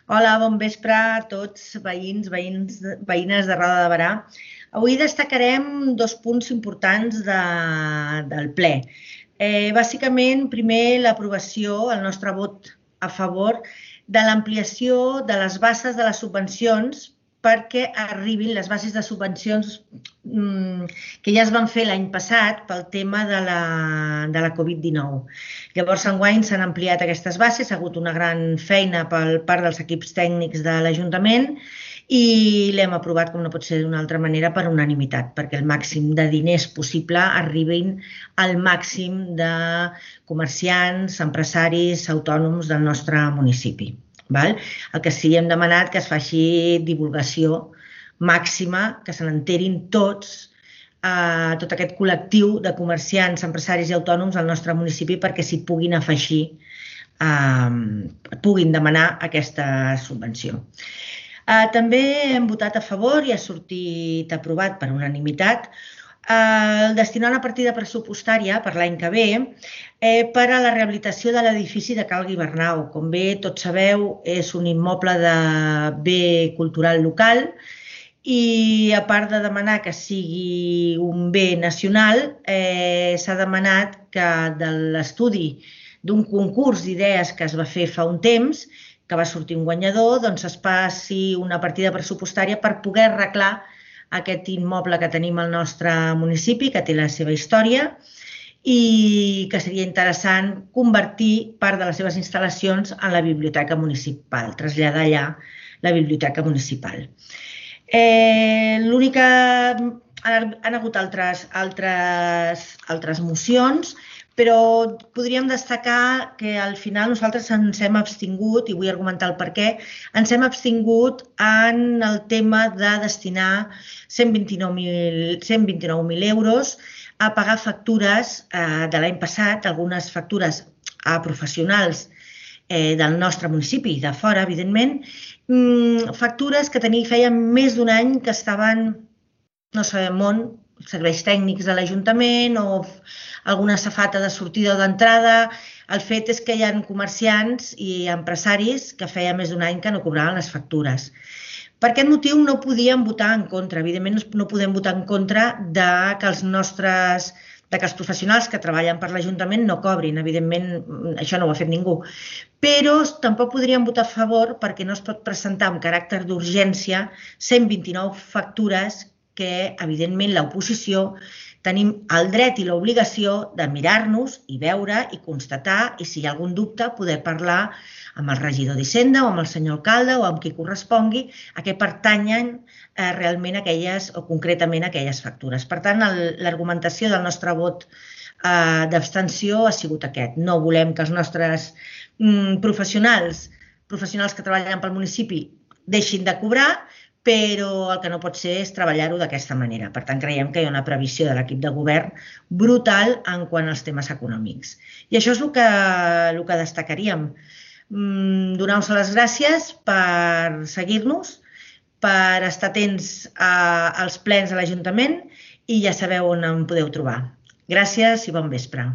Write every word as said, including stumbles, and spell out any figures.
Hola, bon vespre a tots, veïns, veïns, veïnes de Roda de Berà. Avui destacarem dos punts importants de, del ple. Eh, bàsicament, primer, l'aprovació, el nostre vot a favor de l'ampliació de les bases de les subvencions perquè arribin les bases de subvencions mmm, que ja es van fer l'any passat pel tema de la, de la Covid dinou. Llavors, enguany s'han ampliat aquestes bases, ha hagut una gran feina per part dels equips tècnics de l'Ajuntament i l'hem aprovat, com no pot ser d'una altra manera, per unanimitat, perquè el màxim de diners possible arribin al màxim de comerciants, empresaris, autònoms del nostre municipi. Val? El que sí hem demanat que es faci divulgació màxima, que se n'enterin tots, eh, tot aquest col·lectiu de comerciants, empresaris i autònoms al nostre municipi perquè s'hi puguin afegir, eh, puguin demanar aquesta subvenció. Eh, també hem votat a favor i ha sortit aprovat per unanimitat el destinar una partida pressupostària per l'any que ve eh, per a la rehabilitació de l'edifici de Cal Guibernau. Com bé tots sabeu, és un immoble de bé cultural local i a part de demanar que sigui un bé nacional, eh, s'ha demanat que de l'estudi d'un concurs d'idees que es va fer fa un temps, que va sortir un guanyador, doncs es passi una partida pressupostària per poder arreglar aquest immoble que tenim al nostre municipi, que té la seva història i que seria interessant convertir part de les seves instal·lacions en la biblioteca municipal, traslladar allà la biblioteca municipal. Eh, L'única... Han hagut altres, altres, altres mocions, però podríem destacar que al final nosaltres ens hem abstingut, i vull argumentar el per què, ens hem abstingut en el tema de destinar cent vint-i-nou mil euros a pagar factures de l'any passat, algunes factures a professionals del nostre municipi i de fora, evidentment, factures que feien més d'un any que estaven, no sabem on, serveis tècnics de l'Ajuntament o alguna safata de sortida o d'entrada. El fet és que hi ha comerciants i empresaris que feia més d'un any que no cobraven les factures. Per aquest motiu no podíem votar en contra. Evidentment no podem votar en contra de que els nostres de que els professionals que treballen per l'Ajuntament no cobrin. Evidentment això no ho ha fet ningú. Però tampoc podríem votar a favor perquè no es pot presentar amb caràcter d'urgència cent vint-i-nou factures que, evidentment, l'oposició tenim el dret i l'obligació de mirar-nos i veure i constatar i, si hi ha algun dubte, poder parlar amb el regidor d'Hisenda o amb el senyor alcalde o amb qui correspongui a què pertanyen realment aquelles o concretament aquelles factures. Per tant, l'argumentació del nostre vot d'abstenció ha sigut aquest. No volem que els nostres professionals, professionals que treballen pel municipi, deixin de cobrar, però el que no pot ser és treballar-ho d'aquesta manera. Per tant, creiem que hi ha una previsió de l'equip de govern brutal en quant als temes econòmics. I això és el que, el que destacaríem. Donar-vos les gràcies per seguir-nos, per estar atents als plens de l'Ajuntament i ja sabeu on em podeu trobar. Gràcies i bon vespre.